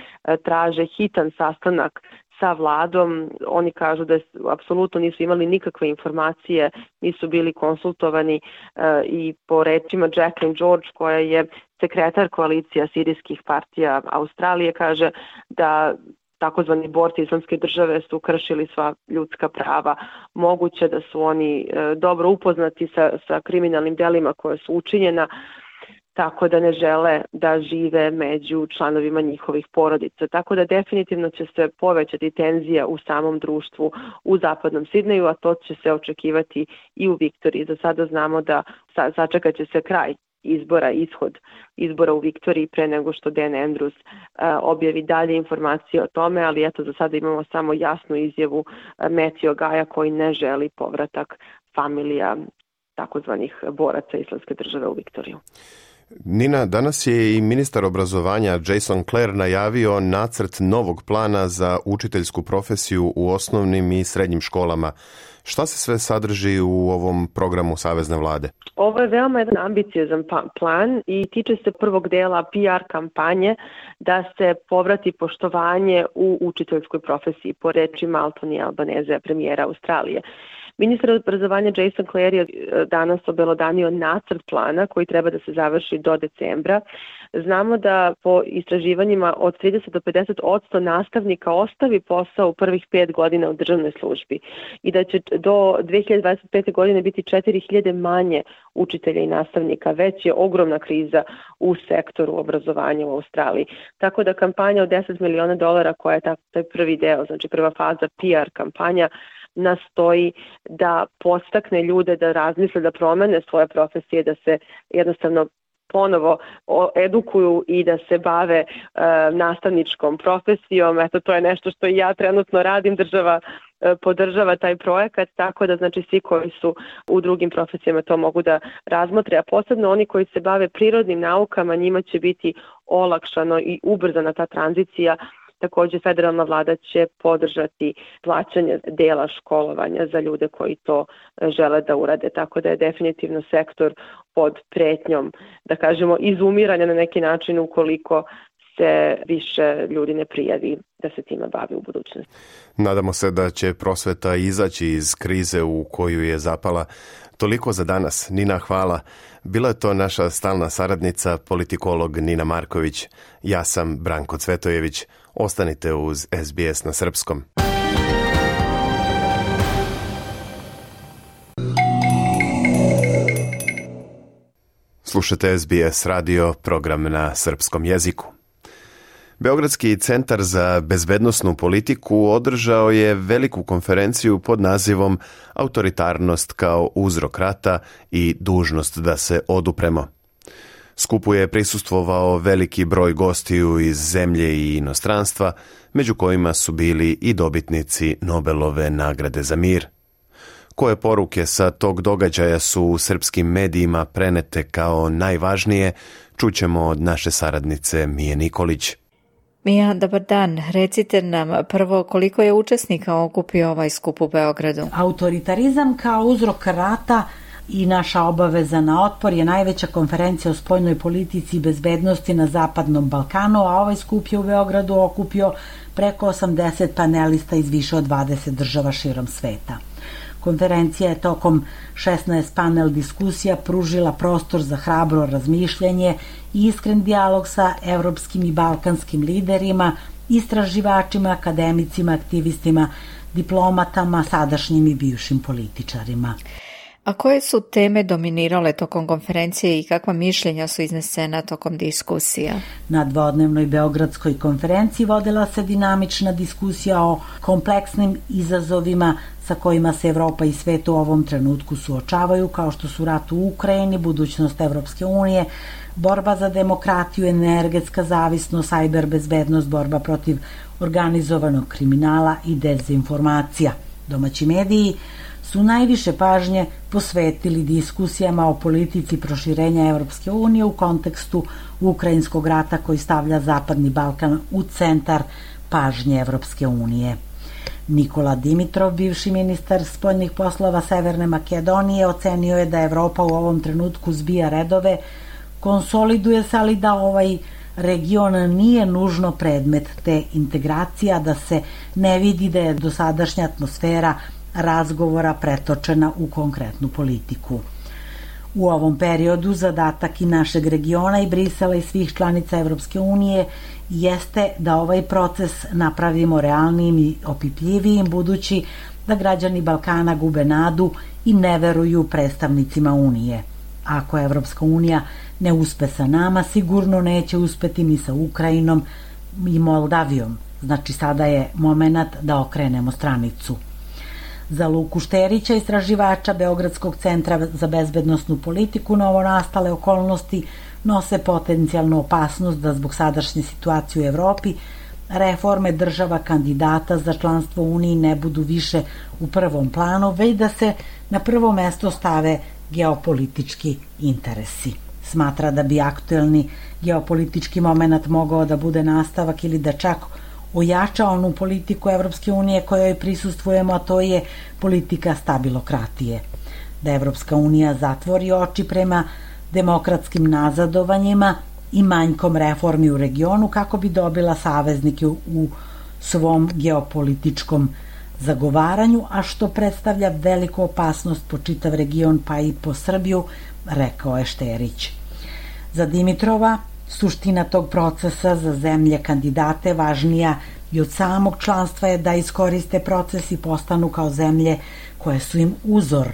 traže hitan sastanak sa vladom. Oni kažu da apsolutno nisu imali nikakve informacije, nisu bili konsultovani i po rečima Jacqueline George, koja je sekretar koalicija sirijskih partija Australije, kaže da takozvani borci islamske države su kršili sva ljudska prava. Moguće da su oni dobro upoznati sa kriminalnim delima koje su učinjena. tako da ne žele da žive među članovima njihovih porodica. Tako da definitivno će se povećati tenzija u samom društvu u zapadnom Sidneju, a to će se očekivati i u Viktoriji. Za sada znamo da sačekat će se kraj ishod izbora u Viktoriji pre nego što Dan Andrews objavi dalje informacije o tome, ali eto za sada imamo samo jasnu izjavu Matthew Gaja koji ne želi povratak familija takozvanih boraca Islamske države u Viktoriju. Nina, danas je i ministar obrazovanja Jason Clare najavio nacrt novog plana za učiteljsku profesiju u osnovnim i srednjim školama. Šta se sve sadrži u ovom programu Savezne vlade? Ovo je veoma jedan ambiciozan plan i tiče se prvog dela PR kampanje da se povrati poštovanje u učiteljskoj profesiji, po rečima Anthony Albanese, premijera Australije. Ministar obrazovanja Jason Clare je danas obelodanio nacrt plana koji treba da se završi do decembra. Znamo da po istraživanjima od 30 do 50% nastavnika ostavi posao u prvih 5 godina u državnoj službi i da će do 2025. godine biti 4000 manje učitelja i nastavnika. Već je ogromna kriza u sektoru obrazovanja u Australiji. Tako da kampanja od $10 miliona koja je taj prvi deo, znači prva faza PR kampanja, nastoji da podstakne ljude da razmisle, da promene svoje profesije, da se jednostavno ponovo edukuju i da se bave nastavničkom profesijom. Eto, to je nešto što i ja trenutno radim, država podržava taj projekat, tako da znači svi koji su u drugim profesijama to mogu da razmotre, a posebno oni koji se bave prirodnim naukama, njima će biti olakšano i ubrzana ta tranzicija. Također federalna vlada će podržati plaćanje dela školovanja za ljude koji to žele da urade, tako da je definitivno sektor pod pretnjom, da kažemo, izumiranja na neki način ukoliko se više ljudi ne prijavi da se time bavi u budućnosti. Nadamo se da će prosveta izaći iz krize u koju je zapala. Toliko za danas. Nina, hvala. Bila je to naša stalna saradnica, politikolog Nina Marković. Ja sam Branko Cvetojević. Ostanite uz SBS na srpskom. Slušate SBS radio, program na srpskom jeziku. Beogradski centar za bezbednosnu politiku održao je veliku konferenciju pod nazivom Autoritarnost kao uzrok rata i dužnost da se odupremo. Skupu je prisustvovao veliki broj gostiju iz zemlje i inostranstva, među kojima su bili i dobitnici Nobelove nagrade za mir. Koje poruke sa tog događaja su u srpskim medijima prenete kao najvažnije, čućemo od naše saradnice Mije Nikolić. Mija, dobar dan. Recite nam prvo koliko je učesnika okupio ovaj skup u Beogradu. Autoritarizam kao uzrok rata i naša obaveza na otpor je najveća konferencija o spoljnoj politici i bezbednosti na Zapadnom Balkanu, a ovaj skup je u Beogradu okupio preko 80 panelista iz više od 20 država širom sveta. Konferencija je tokom 16 panel diskusija pružila prostor za hrabro razmišljanje i iskren dijalog sa evropskim i balkanskim liderima, istraživačima, akademicima, aktivistima, diplomatama, sadašnjim i bivšim političarima. A koje su teme dominirale tokom konferencije i kakva mišljenja su iznesena tokom diskusija? Na dvodnevnoj Beogradskoj konferenciji vodila se dinamična diskusija o kompleksnim izazovima sa kojima se Evropa i svet u ovom trenutku suočavaju, kao što su rat u Ukrajini, budućnost Evropske unije, borba za demokratiju, energetska zavisnost, sajber bezbednost, borba protiv organizovanog kriminala i dezinformacija. Domaći mediji su najviše pažnje posvetili diskusijama o politici proširenja Evropske unije u kontekstu ukrajinskog rata koji stavlja Zapadni Balkan u centar pažnje Evropske unije. Nikola Dimitrov, bivši ministar spoljnih poslova Severne Makedonije, ocenio je da Evropa u ovom trenutku zbija redove, konsoliduje se, ali da ovaj region nije nužno predmet te integracija, da se ne vidi da je dosadašnja atmosfera razgovora pretočena u konkretnu politiku. U ovom periodu zadatak i našeg regiona i Brisela i svih članica Evropske unije jeste da ovaj proces napravimo realnijim i opipljivijim, budući da građani Balkana gube nadu i ne veruju predstavnicima Unije. Ako Evropska unija ne uspe sa nama, sigurno neće uspeti ni sa Ukrajinom i Moldavijom. Znači sada je moment da okrenemo stranicu. Za Luku Šterića, istraživača Beogradskog centra za bezbednosnu politiku, novonastale okolnosti nose potencijalnu opasnost da zbog sadašnje situacije u Evropi reforme država kandidata za članstvo u Uniji ne budu više u prvom planu, već da se na prvo mesto stave geopolitički interesi. Smatra da bi aktuelni geopolitički moment mogao da bude nastavak ili da čak ojača onu politiku Evropske unije kojoj prisustvujemo, a to je politika stabilokratije. Da Evropska unija zatvori oči prema demokratskim nazadovanjima i manjkom reformi u regionu kako bi dobila saveznike u svom geopolitičkom zagovaranju, a što predstavlja veliku opasnost po čitav region pa i po Srbiju, rekao je Šterić. Za Dimitrova suština tog procesa za zemlje kandidate važnija i od samog članstva je da iskoriste proces i postanu kao zemlje koje su im uzor,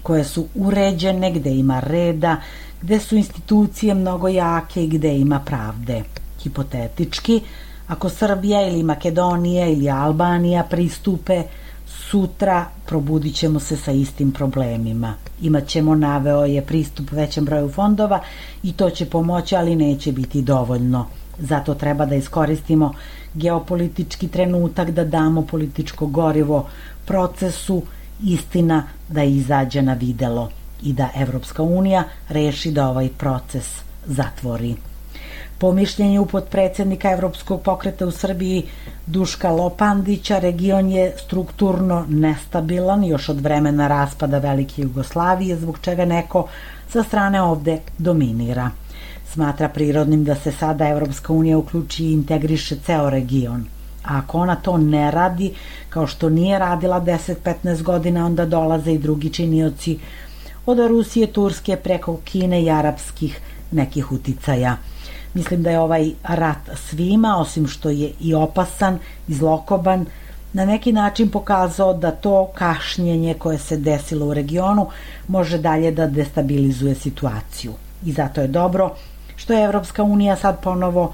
koje su uređene, gde ima reda, gde su institucije mnogo jake i gde ima pravde. Hipotetički, ako Srbija ili Makedonija ili Albanija pristupe, sutra probudit ćemo se sa istim problemima. Imaćemo, naveo je, pristup većem broju fondova i to će pomoći, ali neće biti dovoljno. Zato treba da iskoristimo geopolitički trenutak, da damo političko gorivo procesu, istina da izađe na videlo i da Evropska unija reši da ovaj proces zatvori. Po mišljenju potpredsednika Evropskog pokreta u Srbiji Duška Lopandića, region je strukturno nestabilan još od vremena raspada Velike Jugoslavije, zbog čega neko sa strane ovde dominira. Smatra prirodnim da se sada Evropska unija uključi i integriše ceo region. A ako ona to ne radi, kao što nije radila 10-15 godina, onda dolaze i drugi činioci od Rusije, Turske, preko Kine i arapskih nekih uticaja. Mislim da je ovaj rat svima, osim što je i opasan i zlokoban, na neki način pokazao da to kašnjenje koje se desilo u regionu može dalje da destabilizuje situaciju. I zato je dobro što je Evropska unija sad ponovo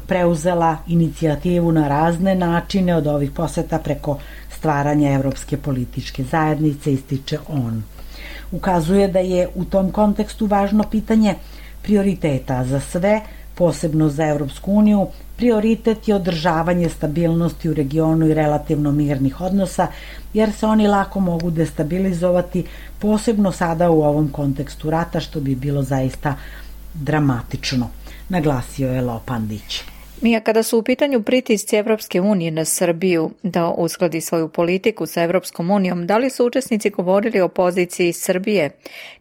preuzela inicijativu na razne načine, od ovih poseta preko stvaranja Evropske političke zajednice, ističe on. Ukazuje da je u tom kontekstu važno pitanje prioriteta za sve, posebno za Evropsku uniju. Prioritet je održavanje stabilnosti u regionu i relativno mirnih odnosa, jer se oni lako mogu destabilizovati, posebno sada u ovom kontekstu rata, što bi bilo zaista dramatično, naglasio je Lopandić. Mija, kada su u pitanju pritisci Evropske unije na Srbiju da uskladi svoju politiku sa Evropskom unijom, da li su učesnici govorili o poziciji Srbije?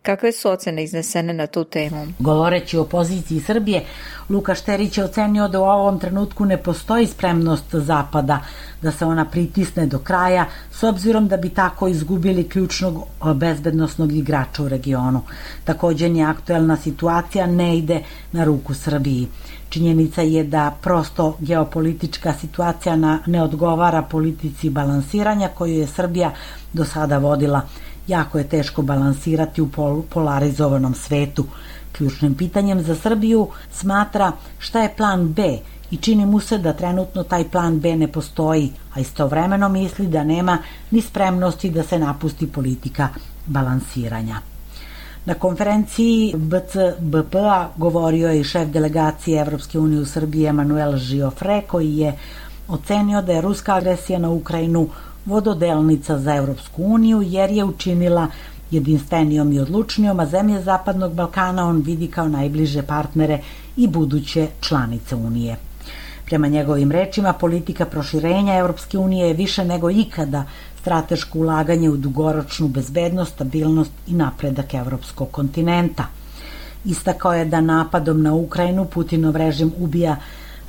Kakve su ocene iznesene na tu temu? Govoreći o poziciji Srbije, Luka Šterić je ocenio da u ovom trenutku ne postoji spremnost Zapada da se ona pritisne do kraja, s obzirom da bi tako izgubili ključnog bezbednosnog igrača u regionu. Takođe, ni aktuelna situacija ne ide na ruku Srbiji. Činjenica je da prosto geopolitička situacija ne odgovara politici balansiranja koju je Srbija do sada vodila. Jako je teško balansirati u polarizovanom svetu. Ključnim pitanjem za Srbiju smatra šta je plan B i čini mu se da trenutno taj plan B ne postoji, a istovremeno misli da nema ni spremnosti da se napusti politika balansiranja. Na konferenciji BCBP-a govorio je i šef delegacije Evropske unije u Srbiji Emanuel Žiofre, koji je ocenio da je ruska agresija na Ukrajinu vododelnica za Evropsku uniju, jer je učinila jedinstvenijom i odlučnijom, a zemlje Zapadnog Balkana on vidi kao najbliže partnere i buduće članice Unije. Prema njegovim rečima, politika proširenja Evropske unije je više nego ikada strateško ulaganje u dugoročnu bezbednost, stabilnost i napredak evropskog kontinenta. Istakao je da napadom na Ukrajinu Putinov režim ubija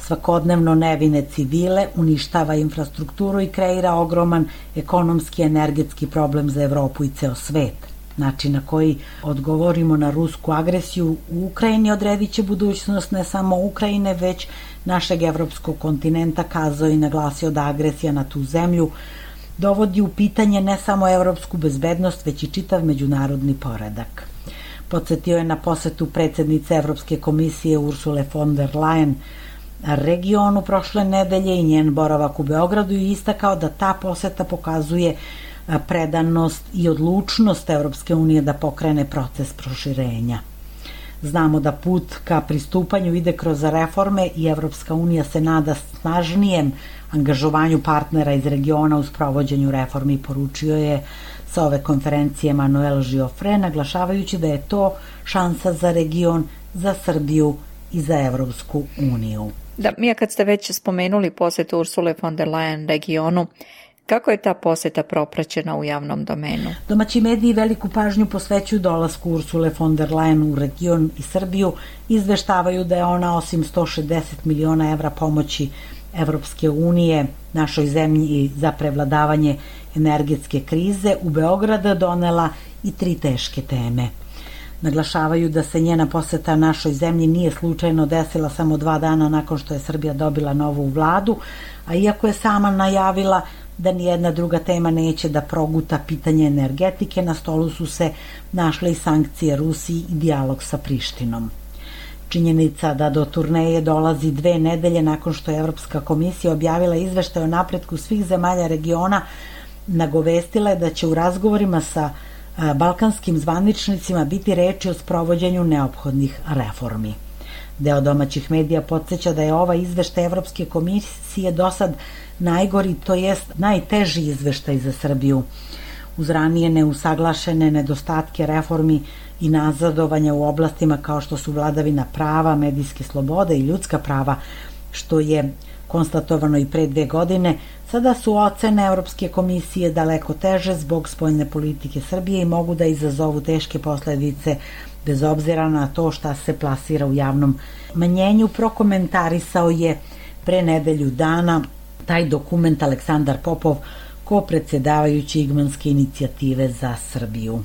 svakodnevno nevine civile, uništava infrastrukturu i kreira ogroman ekonomski i energetski problem za Evropu i ceo svet. Način na koji odgovorimo na rusku agresiju u Ukrajini odredit će budućnost ne samo Ukrajine, već našeg evropskog kontinenta, kazao i naglasio da agresija na tu zemlju dovodi u pitanje ne samo evropsku bezbednost, već i čitav međunarodni poredak. Podsjetio je na posetu predsjednice Evropske komisije Ursule von der Leyen regionu prošle nedelje i njen boravak u Beogradu i istakao da ta poseta pokazuje predanost i odlučnost Evropske unije da pokrene proces proširenja. Znamo da put ka pristupanju ide kroz reforme i Evropska unija se nada snažnijem angažovanju partnera iz regiona u sprovođenju reformi, poručio je sa ove konferencije Manuel Giofre, naglašavajući da je to šansa za region, za Srbiju i za Evropsku uniju. Da, Mija, kad ste već spomenuli posetu Ursule von der Leyen regionu, kako je ta poseta propraćena u javnom domenu? Domaći mediji veliku pažnju posvećuju dolasku Ursule von der Leyen u region i Srbiju, izveštavaju da je ona osim 160 miliona evra pomoći Evropske unije našoj zemlji za prevladavanje energetske krize u Beograd donela i 3 teške teme. Naglašavaju da se njena poseta našoj zemlji nije slučajno desila samo 2 dana nakon što je Srbija dobila novu vladu, a iako je sama najavila da nijedna druga tema neće da proguta pitanje energetike, na stolu su se našle i sankcije Rusiji i dijalog sa Prištinom. Činjenica da do turneje dolazi 2 nedelje nakon što je Evropska komisija objavila izveštaj o napretku svih zemalja regiona, nagovestila je da će u razgovorima sa balkanskim zvaničnicima biti reči o sprovođenju neophodnih reformi. Deo domaćih medija podsjeća da je ovaj izveštaj Evropske komisije do sad najgori, to jest najteži izveštaj za Srbiju. Uz ranije neusaglašene nedostatke reformi i nazadovanja u oblastima kao što su vladavina prava, medijske slobode i ljudska prava, što je konstatovano i pre 2 godine, sada su ocene Evropske komisije daleko teže zbog spoljne politike Srbije i mogu da izazovu teške posledice bez obzira na to šta se plasira u javnom mnjenju. Prokomentarisao je pre nedelju dana taj dokument Aleksandar Popov, ko-predsjedavajući Igmanske inicijative za Srbiju.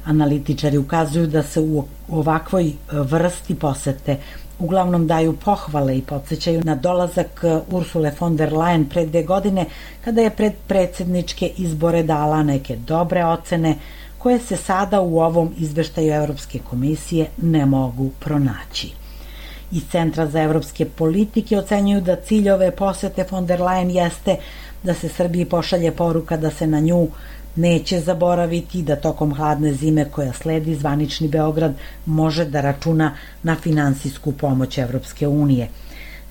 Analitičari ukazuju da se u ovakvoj vrsti posete uglavnom daju pohvale i podsjećaju na dolazak Ursule von der Leyen pre 2 godine, kada je pred predsjedničke izbore dala neke dobre ocene koje se sada u ovom izveštaju Evropske komisije ne mogu pronaći. Iz Centra za evropske politike ocenjuju da cilj ove posete von der Leyen jeste da se Srbiji pošalje poruka da se na nju neće zaboraviti, da tokom hladne zime koja sledi zvanični Beograd može da računa na finansijsku pomoć Evropske unije.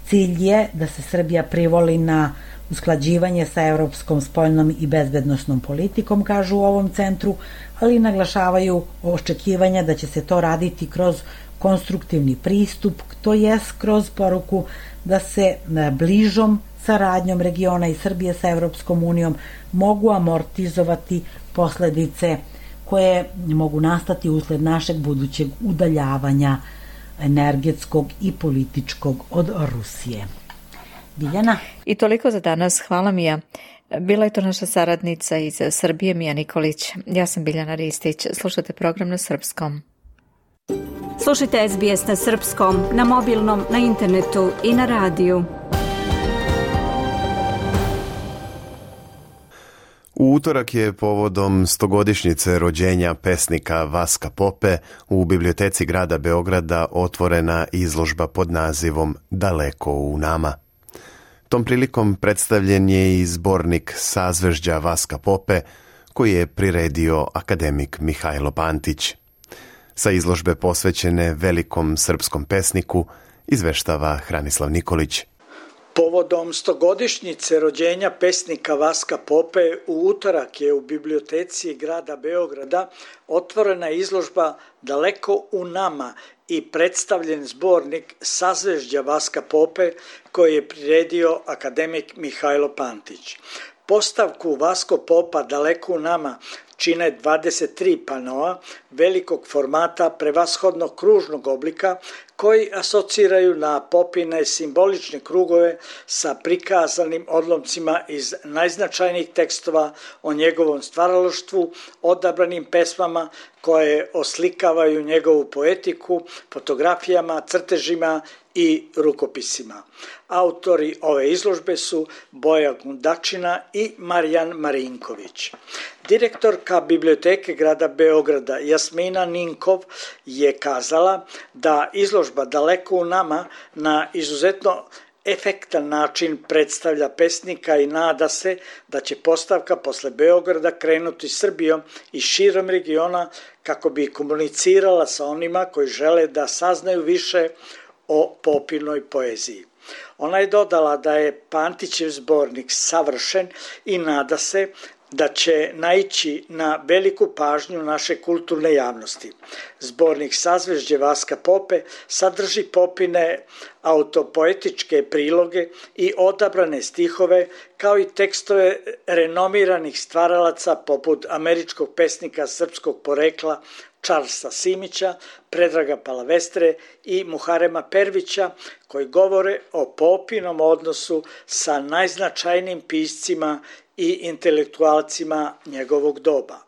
Cilj je da se Srbija privoli na usklađivanje sa evropskom spoljnom i bezbednosnom politikom, kažu u ovom centru, ali naglašavaju očekivanja da će se to raditi kroz konstruktivni pristup, to jest kroz poruku da se bližom saradnjom regiona i Srbije sa Evropskom unijom mogu amortizovati posledice koje mogu nastati usled našeg budućeg udaljavanja energetskog i političkog od Rusije. Biljana? I toliko za danas. Hvala, Mija. Bila je to naša saradnica iz Srbije, Mija Nikolić. Ja sam Biljana Ristić. Slušate program na srpskom. Slušajte SBS na srpskom, na mobilnom, na internetu i na radiju. U utorak je povodom 100-godišnjice rođenja pesnika Vaska Pope u biblioteci grada Beograda otvorena izložba pod nazivom Daleko u nama. Tom prilikom predstavljen je i zbornik Sazvežđa Vaska Pope koji je priredio akademik Mihajlo Pantić. Sa izložbe posvećene velikom srpskom pesniku izveštava Hranislav Nikolić. Povodom 100-godišnjice rođenja pesnika Vaska Pope u utorak je u biblioteci grada Beograda otvorena izložba Daleko u nama i predstavljen zbornik Sazvežđa Vaska Pope koji je priredio akademik Mihajlo Pantić. Postavku Vasko Popa Daleko u nama čine 23 panoa velikog formata prevashodno kružnog oblika koji asociraju na Popine simbolične krugove sa prikazanim odlomcima iz najznačajnijih tekstova o njegovom stvaralaštvu, odabranim pesmama koje oslikavaju njegovu poetiku, fotografijama, crtežima i rukopisima. Autori ove izložbe su Boja Gundačina i Marijan Marinković. Direktorka Biblioteke grada Beograda Jasmina Ninkov je kazala da izložba Daleko u nama na izuzetno efektan način predstavlja pesnika i nada se da će postavka posle Beograda krenuti Srbijom i širom regiona kako bi komunicirala sa onima koji žele da saznaju više o Popinoj poeziji. Ona je dodala da je Pantićev zbornik savršen i nada se da će naići na veliku pažnju naše kulturne javnosti. Zbornik Sazvežđe Vaska Pope sadrži Popine autopoetičke priloge i odabrane stihove, kao i tekstove renomiranih stvaralaca poput američkog pesnika srpskog porekla Charlesa Simića, Predraga Palavestre i Muharema Pervića, koji govore o Popinom odnosu sa najznačajnijim piscima i intelektualcima njegovog doba.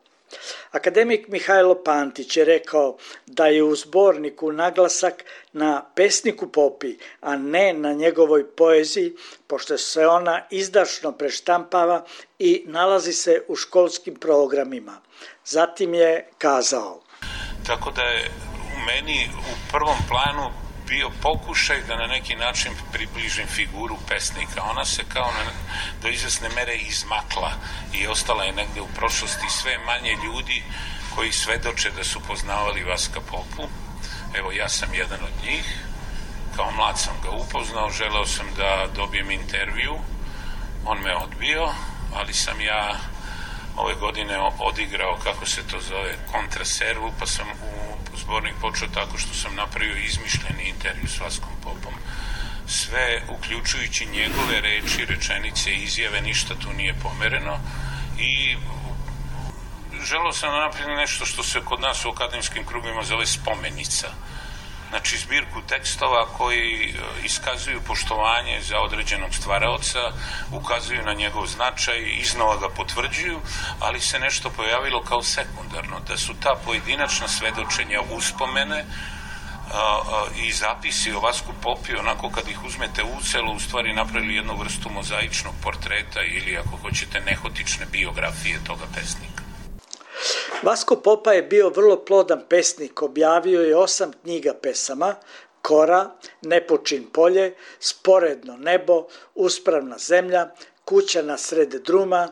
Akademik Mihajlo Pantić je rekao da je u zborniku naglasak na pesniku Popi, a ne na njegovoj poeziji, pošto se ona izdašno preštampava i nalazi se u školskim programima. Zatim je kazao: tako da je u meni u prvom planu bio pokušaj da na neki način približim figuru pesnika. Ona se kao do izvesne mere izmakla i ostala je negde u prošlosti. Sve manje ljudi koji svedoče da su poznavali Vaska Popu. Evo, ja sam jedan od njih. Kao mlad sam ga upoznao, želeo sam da dobijem intervju. On me odbio, ali sam ja ove godine odigrao, kako se to zove, kontraservu, pa sam u zbornik počeo tako što sam napravio izmišljeni intervju s Vaskom Popom. Sve, uključujući njegove reči, rečenice i izjave, ništa tu nije pomereno i želeo sam da napravim nešto što se kod nas u akademskim krugovima zove spomenica. Znači, zbirku tekstova koji iskazuju poštovanje za određenog stvaraoca, ukazuju na njegov značaj, iznova ga potvrđuju, ali se nešto pojavilo kao sekundarno, da su ta pojedinačna svedočenja uspomene i zapisi o Vasku Popi, onako kad ih uzmete u celu, u stvari napravili jednu vrstu mozaičnog portreta ili, ako hoćete, nehotične biografije toga pesnika. Vasko Popa je bio vrlo plodan pesnik, objavio je 8 knjiga pesama: Kora, Nepočin polje, Sporedno nebo, Uspravna zemlja, Kuća na srede druma,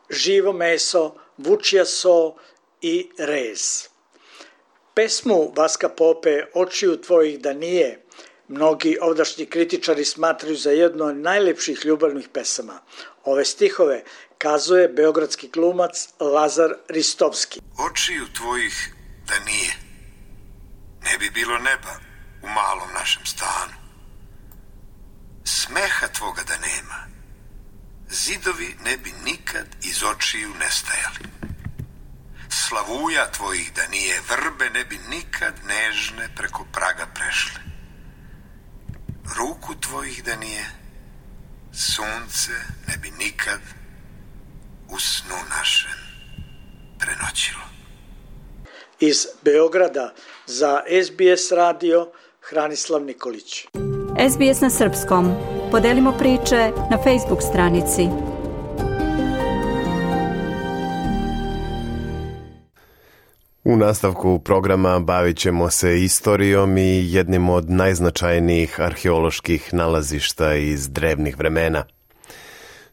Živo meso, Vučija so i Rez. Pesmu Vaska Pope Očiju tvojih da nije mnogi ovdašnji kritičari smatraju za jednu od najlepših ljubavnih pesama. Ove stihove kazuje beogradski glumac Lazar Ristovski. Očiju tvojih da nije, ne bi bilo neba u malom našem stanu. Smeha tvoga da nema, zidovi ne bi nikad iz očiju nestajali. Slavuja tvojih da nije, vrbe ne bi nikad nežne preko praga prešle. Ruku tvojih da nije, sunce ne bi nikad u snu našem prenoćilo. Iz Beograda za SBS radio Hranislav Nikolić. SBS na srpskom. Podelimo priče na Facebook stranici. U nastavku programa bavit ćemo se istorijom i jednim od najznačajnijih arheoloških nalazišta iz drevnih vremena.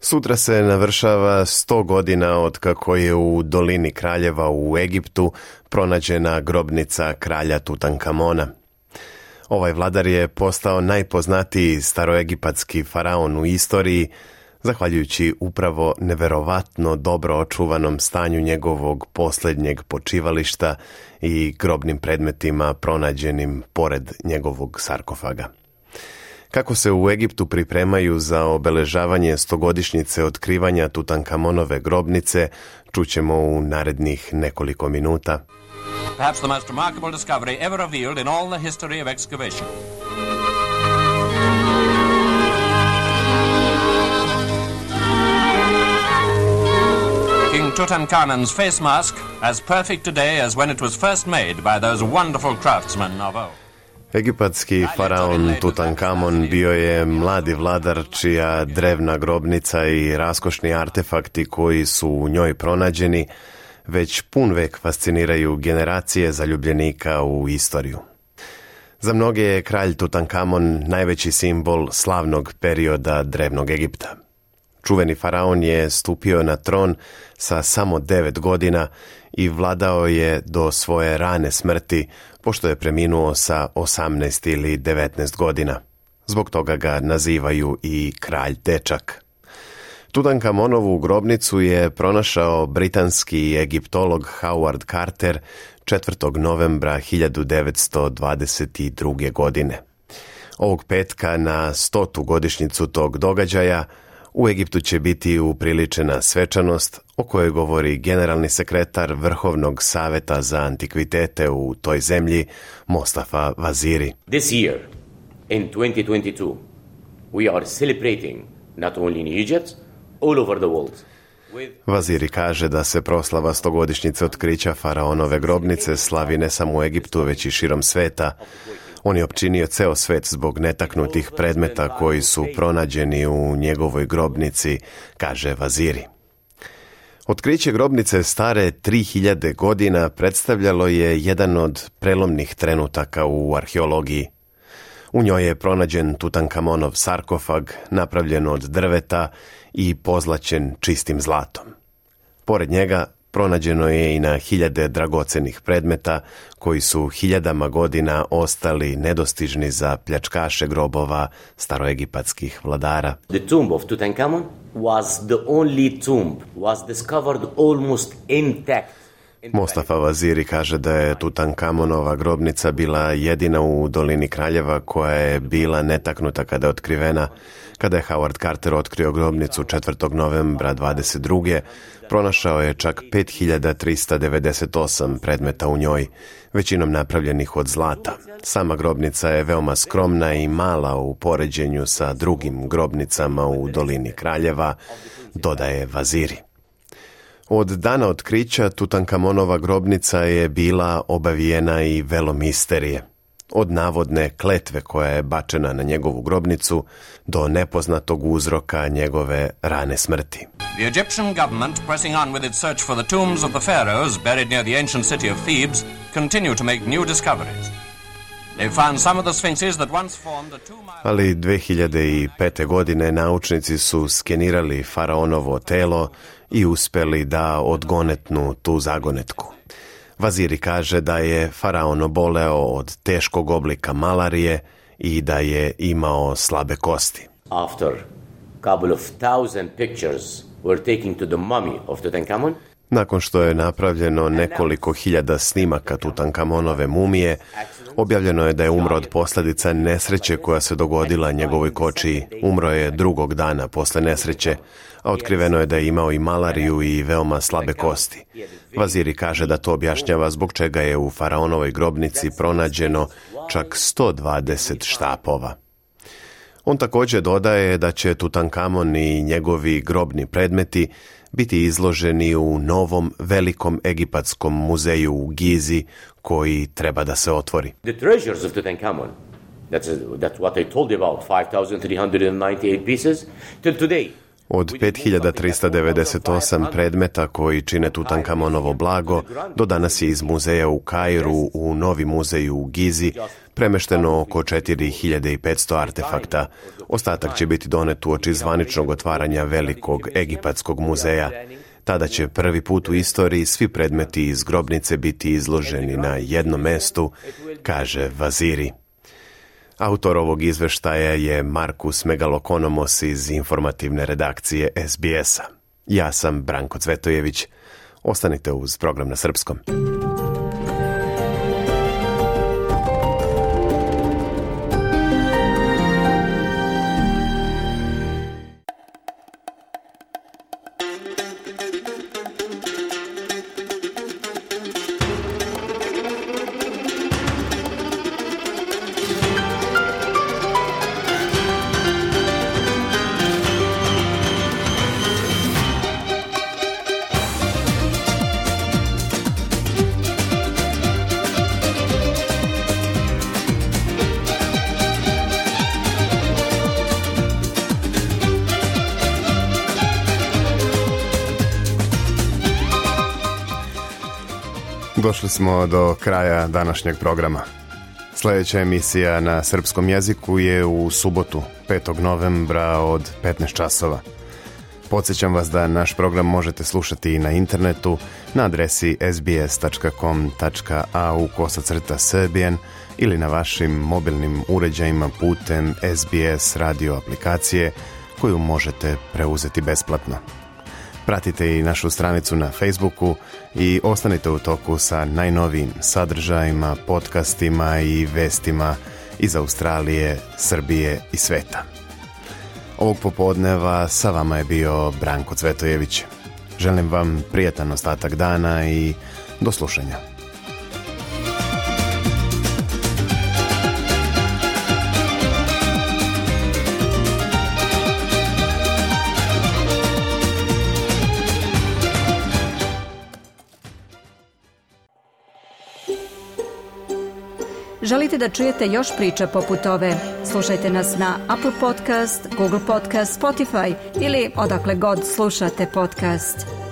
Sutra se navršava 100 godina od kako je u dolini Kraljeva u Egiptu pronađena grobnica kralja Tutankamona. Ovaj vladar je postao najpoznatiji staroegipatski faraon u istoriji, zahvaljujući upravo neverovatno dobro očuvanom stanju njegovog posljednjeg počivališta i grobnim predmetima pronađenim pored njegovog sarkofaga. Kako se u Egiptu pripremaju za obeležavanje 100-godišnjice otkrivanja Tutankamonove grobnice, čućemo u narednih nekoliko minuta. Perhaps the most remarkable discovery ever revealed in all the history of excavation. King Tutankhamun's face mask, as perfect today as when it was first made by those wonderful craftsmen of old. Egipatski faraon Tutankamon bio je mladi vladar čija drevna grobnica i raskošni artefakti koji su u njoj pronađeni već pun vek fasciniraju generacije zaljubljenika u istoriju. Za mnoge je kralj Tutankamon najveći simbol slavnog perioda drevnog Egipta. Čuveni faraon je stupio na tron sa samo 9 godina i vladao je do svoje rane smrti, pošto je preminuo sa 18 ili 19 godina. Zbog toga ga nazivaju i kralj dečak. Tutankamonovu grobnicu je pronašao britanski egiptolog Howard Carter 4. novembra 1922. godine. Ovog petka na 100. godišnjicu tog događaja u Egiptu će biti upriličena svečanost o kojoj govori generalni sekretar Vrhovnog saveta za antikvitete u toj zemlji, Mostafa Vaziri. This year, in 2022, we are celebrating not only in Egypt, all over the world. Vaziri kaže da se proslava 100-godišnjice otkrića faraonove grobnice slavi ne samo u Egiptu, već i širom sveta. On je opčinio ceo svet zbog netaknutih predmeta koji su pronađeni u njegovoj grobnici, kaže Vaziri. Otkriće grobnice stare 3000 godina predstavljalo je jedan od prelomnih trenutaka u arheologiji. U njoj je pronađen Tutankamonov sarkofag, napravljen od drveta i pozlaćen čistim zlatom. Pored njega pronađeno je i na hiljade dragocenih predmeta koji su hiljadama godina ostali nedostižni za pljačkaše grobova staroegipatskih vladara. The tomb of Tutankhamun was the only tomb was discovered almost intact. Mostafa Vaziri kaže da je Tutankamonova grobnica bila jedina u dolini Kraljeva koja je bila netaknuta kada je otkrivena. Kada je Howard Carter otkrio grobnicu 4. novembra 22. pronašao je čak 5398 predmeta u njoj, većinom napravljenih od zlata. Sama grobnica je veoma skromna i mala u poređenju sa drugim grobnicama u dolini Kraljeva, dodaje Vaziri. Od dana otkrića Tutankamonova grobnica je bila obavijena i velom misterije. Od navodne kletve koja je bačena na njegovu grobnicu do nepoznatog uzroka njegove rane smrti. The Egyptian government, pressing on with its search for the tombs of the pharaohs buried near the ancient city of Thebes, continue to make new discoveries. They found some of the sphinxes that once formed a 2 mile... Ali 2005. godine naučnici su skenirali faraonovo telo i uspeli da odgonetnu tu zagonetku. Vaziri kaže da je faraon oboleo od teškog oblika malarije i da je imao slabe kosti. After a couple of thousand pictures were taken to the mummy of Tutankhamun, nakon što je napravljeno nekoliko hiljada snimaka Tutankamonove mumije, objavljeno je da je umro od posljedica nesreće koja se dogodila njegovoj kočiji. Umro je drugog dana posle nesreće, a otkriveno je da je imao i malariju i veoma slabe kosti. Vaziri kaže da to objašnjava zbog čega je u faraonovoj grobnici pronađeno čak 120 štapova. On također dodaje da će Tutankamon i njegovi grobni predmeti biti izloženi u novom velikom egipatskom muzeju u Gizi koji treba da se otvori. the treasures of Tutankhamun, that's what I told you about, 5,398 pieces, till today. Od 5398 predmeta koji čine Tutankamonovo blago, do danas je iz muzeja u Kairu u novi muzej u Gizi premešteno oko 4500 artefakta. Ostatak će biti donet uoči zvaničnog otvaranja velikog egipatskog muzeja. Tada će prvi put u istoriji svi predmeti iz grobnice biti izloženi na jednom mestu, kaže Vaziri. Autor ovog izveštaja je Markus Megalokonomos iz informativne redakcije SBS-a. Ja sam Branko Cvetojević. Ostanite uz program na srpskom. Došli smo do kraja današnjeg programa. Sljedeća emisija na srpskom jeziku je u subotu, 5. novembra od 15 časova. Podsjećam vas da naš program možete slušati i na internetu na adresi sbs.com.au/serbian ili na vašim mobilnim uređajima putem SBS radio aplikacije koju možete preuzeti besplatno. Pratite i našu stranicu na Facebooku i ostanite u toku sa najnovijim sadržajima, podcastima i vestima iz Australije, Srbije i sveta. Ovog popodneva sa vama je bio Branko Cvetojević. Želim vam prijatan ostatak dana i do slušanja. Želite da čujete još priča poput ove? Slušajte nas na Apple Podcast, Google Podcast, Spotify ili odakle god slušate podcast.